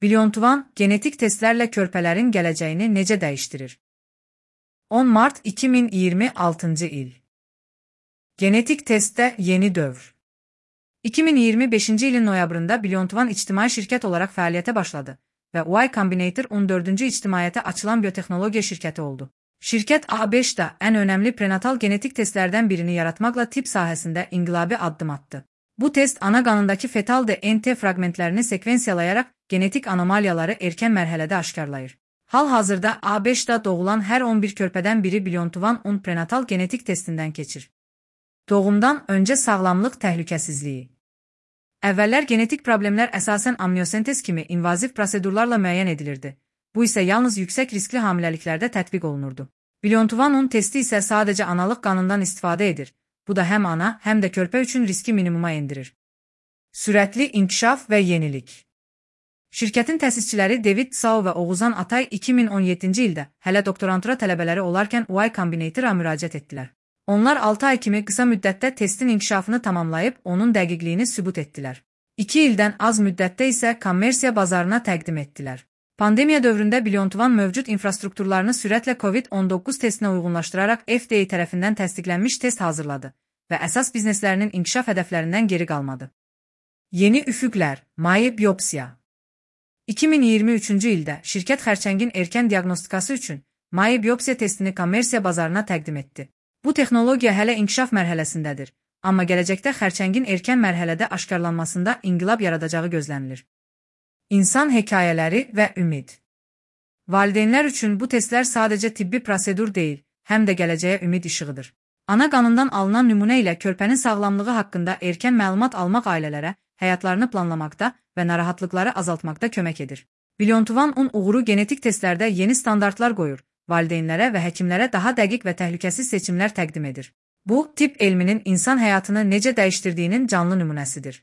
Blyontuvan, genetik testlərlə körpələrin gələcəyini necə dəyişdirir? 10 Mart 2026 il. Genetik testdə yeni dövr. 2025 ilin noyabrında Blyontuvan ictimai şirkət olaraq fəaliyyətə başladı və Y Combinator 14-cü ictimaiyyətə açılan biotexnologiya şirkəti oldu. Şirkət ABŞ-da ən önəmli prenatal genetik testlərdən birini yaratmaqla tibb sahəsində inqilabi addım atdı. Bu test ana qanındakı fetal DNT fraqmentlərini sekvensiyalayaraq genetik anomaliyaları erkən mərhələdə aşkarlayır. Hal-hazırda ABŞ-da doğulan hər 11 körpədən biri Blyontuvan 10 prenatal genetik testindən keçir. Doğumdan öncə sağlamlıq təhlükəsizliyi. Əvvəllər genetik problemlər əsasən amniosentez kimi invaziv prosedurlarla müəyyən edilirdi. Bu isə yalnız yüksək riskli hamiləliklərdə tətbiq olunurdu. Blyontuvan 10 testi isə sadəcə analıq qanından istifadə edir. Bu da həm ana, həm də körpə üçün riski minimuma endirir. Sürətli inkişaf və yenilik. Şirkətin təsisçiləri David Tsao və Oğuzhan Atay 2017-ci ildə hələ doktorantura tələbələri olarkən Y Combinator-a müraciət etdilər. Onlar 6 ay kimi qısa müddətdə testin inkişafını tamamlayıb onun dəqiqliyini sübut etdilər. 2 ildən az müddətdə isə kommersiya bazarına təqdim etdilər. Pandemiya dövründə Blyontuvan mövcud infrastrukturlarını sürətlə COVID-19 testinə uyğunlaşdıraraq FDA tərəfindən təsdiqlənmiş test hazırladı və əsas bizneslərinin inkişaf hədəflərindən geri qalmadı. Yeni üfüqlər, maye biopsiya. 2023-cü ildə şirkət xərçəngin erkən diaqnostikası üçün maye biopsiya testini kommersiya bazarına təqdim etdi. Bu texnologiya hələ inkişaf mərhələsindədir, amma gələcəkdə xərçəngin erkən mərhələdə aşkarlanmasında inqilab yaradacağı gözlənilir. İnsan hekayələri və ümid. Valideynlər üçün bu testlər sadəcə tibbi prosedur deyil, həm də gələcəyə ümid işığıdır. Ana qanından alınan nümunə ilə körpənin sağlamlığı haqqında erkən məlumat almaq ailələrə həyatlarını planlamaqda və narahatlıqları azaltmaqda kömək edir. Blyontuvan 10 uğuru genetik testlərdə yeni standartlar qoyur, valideynlərə və həkimlərə daha dəqiq və təhlükəsiz seçimlər təqdim edir. Bu, tibb elminin insan həyatını necə dəyişdirdiyinin canlı nümunəsidir.